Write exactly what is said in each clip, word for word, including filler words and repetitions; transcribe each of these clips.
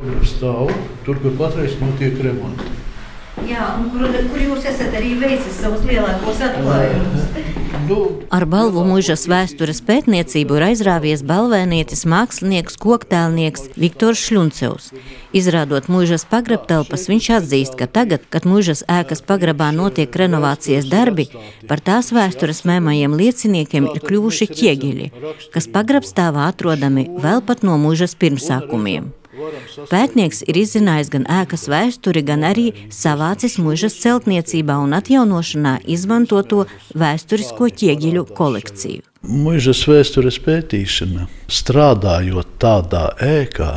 Stāv tur, kur patreiz notiek remonti. Jā, un kur, kur jūs esat arī veicis savus lielākos atklājumus? Ar balvu muižas vēstures pētniecību ir aizrāvies balvēnietis mākslinieks, koktēlnieks Viktors Šļuncevs. Izrādot muižas pagrabtelpas, viņš atzīst, ka tagad, kad muižas ēkas pagrabā notiek renovācijas darbi, par tās vēstures mēmajiem lieciniekiem ir kļuvuši ķiegeļi, kas pagrabstāvā atrodami vēl pat no muižas pirmsākumiem. Pētnieks ir izzinājis gan ēkas vēsturi, gan arī savācis muižas celtniecībā un atjaunošanā izmantoto vēsturisko ķieģeļu kolekciju. Muižas vēstures pētīšana, strādājot tādā ēkā,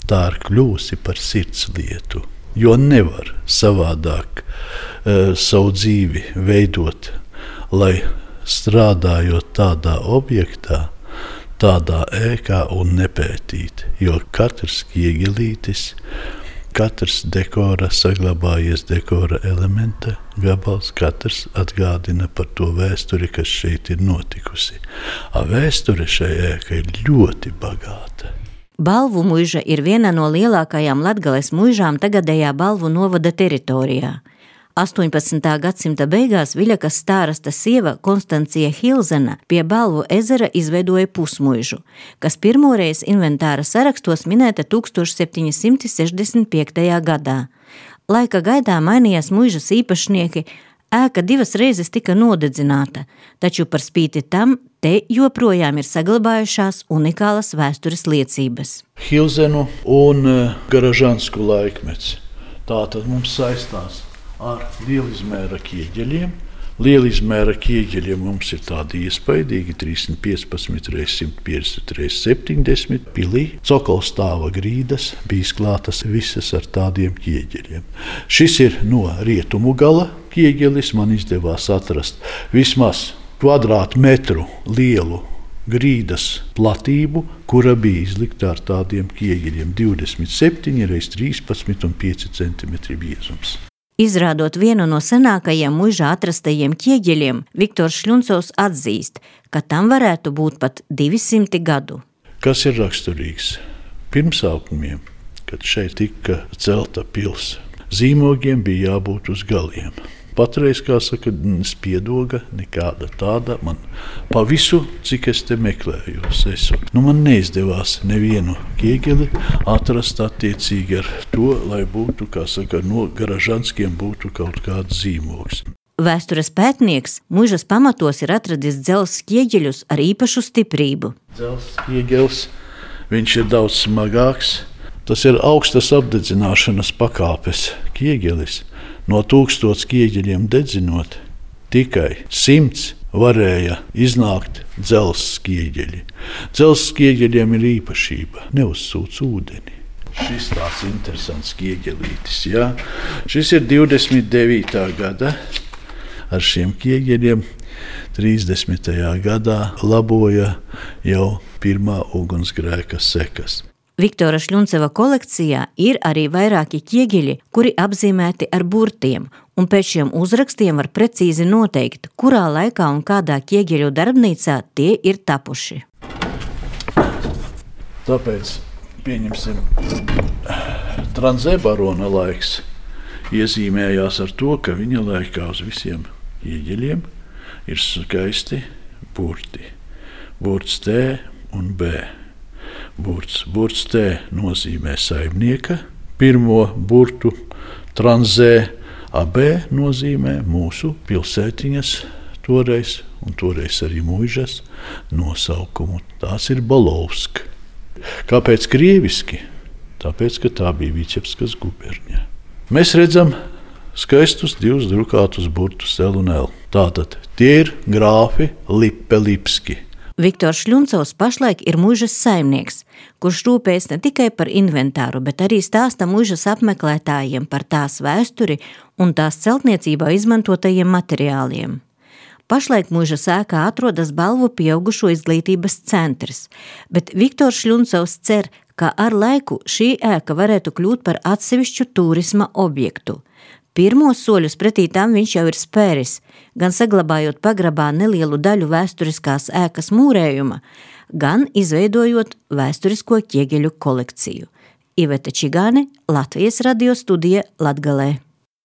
tā ir kļūsi par sirdslietu, jo nevar savādāk uh, savu dzīvi veidot, lai strādājot tādā objektā, tādā ēkā un nepētīt, jo katrs ķieģelītis, katrs dekora saglabājies dekora elementa gabals, katrs atgādina par to vēsturi, kas šeit ir notikusi. A vēsture šai ēkai ir ļoti bagāta. Balvu muiža ir viena no lielākajām Latgales muižām tagadējā Balvu novada teritorijā. astoņpadsmitā gadsimta beigās Viļakas stārasta sieva Konstancija Hilzena pie Balvu ezera izveidoja pusmuižu, kas pirmoreiz inventāra sarakstos minēta tūkstoš septiņi simti sešdesmit piektajā gadā. Laika gaidā mainījās muižas īpašnieki, ēka divas reizes tika nodedzināta, taču par spīti tam te joprojām ir saglabājušās unikālas vēstures liecības. Hilzenu un Garažansku laikmets. Tā tad mums saistās ar lielizmēra ķieģeļiem. Lielizmēra ķieģeļiem mums ir tādi iespaidīgi trīssimt piecpadsmit reiz simt piecdesmit reiz septiņdesmit pilī. Cokolstāva grīdas bija klātas visas ar tādiem ķieģeļiem. Šis ir no rietumu gala ķieģelis. Man izdevās atrast vismaz kvadrātmetru lielu grīdas platību, kura bija izlikta ar tādiem ķieģeļiem divdesmit septiņi reiz trīspadsmit un pieci centimetri biezums. Izrādot vienu no senākajiem muižā atrastajiem ķieģeļiem, Viktors Šļuncevs atzīst, ka tam varētu būt pat divsimti gadu. Kas ir raksturīgs? Pirmsākumiem, kad šeit tika celta pils, zīmogiem bija jābūt uz galiem. Patreiz, kā saka, spiedoga nekāda tāda man pa visu, cik es te meklējos. Esu. Nu, man neizdevās nevienu ķieģeli atrast attiecīgi ar to, lai būtu, kā saka, no Garažanskiem būtu kaut kāds zīmogs. Vēstures pētnieks muižas pamatos ir atradis dzelzs ķieģeļus ar īpašu stiprību. Dzelzs ķieģelis, viņš ir daudz smagāks. Tas ir augstas apdedzināšanas pakāpes ķieģelis. No tūkstots ķieģeļiem dedzinot, tikai simts varēja iznākt dzelzs ķieģeļi. Dzelzs ķieģeļiem ir īpašība, neuzsūc ūdeni. Šis tāds interesants ķieģelītis, jā. Šis ir divdesmit devītā gada. Ar šiem ķieģeļiem trīsdesmitajā gadā laboja jau pirmā ugunsgrēka sekas. Viktora Šļunceva kolekcijā ir arī vairāki ķieģeļi, kuri apzīmēti ar burtiem, un pēc šiem uzrakstiem var precīzi noteikt, kurā laikā un kādā ķieģeļu darbnīcā tie ir tapuši. Tāpēc, pieņemsim, Tranzē barona laiks iezīmējās ar to, ka viņa laikā uz visiem ķieģeļiem ir skaisti burti. Burts T un B. Burts. Burts T nozīmē saimnieka pirmo burtu, Tranzē, a B nozīmē mūsu pilsētiņas toreiz, un toreiz arī muižas nosaukumu. Tās ir Bolovska. Kāpēc krieviski? Tāpēc, ka tā bija Viķebskas guberņa. Mēs redzam skaistus divus drukātus burtus L un L. Tātad tie ir grāfi Lippe-Lipski. Viktors Šļuncevs pašlaik ir muižas saimnieks, kurš rūpējas ne tikai par inventāru, bet arī stāsta muižas apmeklētājiem par tās vēsturi un tās celtniecībā izmantotajiem materiāliem. Pašlaik muižas ēkā atrodas Balvu pieaugušo izglītības centrs, bet Viktors Šļuncevs cer, ka ar laiku šī ēka varētu kļūt par atsevišķu turisma objektu. Pirmos soļus pretī tam viņš jau ir spēris, gan saglabājot pagrabā nelielu daļu vēsturiskās ēkas mūrējuma, gan izveidojot vēsturisko ķieģeļu kolekciju. Iveta Čigāne, Latvijas radio studija Latgalē.